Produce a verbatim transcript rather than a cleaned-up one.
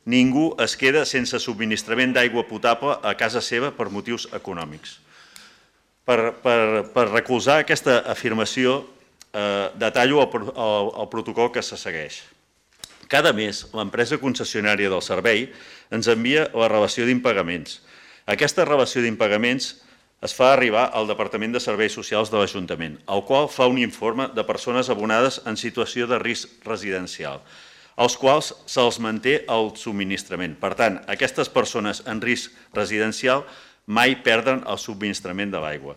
ningú es queda sense subministrament d'aigua potable a casa seva per motius econòmics. Per, per, per recolzar aquesta afirmació, eh, detallo el, el, el protocol que se segueix. Cada mes, l'empresa concessionària del servei ens envia la relació d'impagaments. Aquesta relació d'impagaments es fa arribar al Departament de Serveis Socials de l'Ajuntament, el qual fa un informe de persones abonades en situació de risc residencial, als quals se'ls manté el subministrament. Per tant, aquestes persones en risc residencial mai perden el subministrament de l'aigua.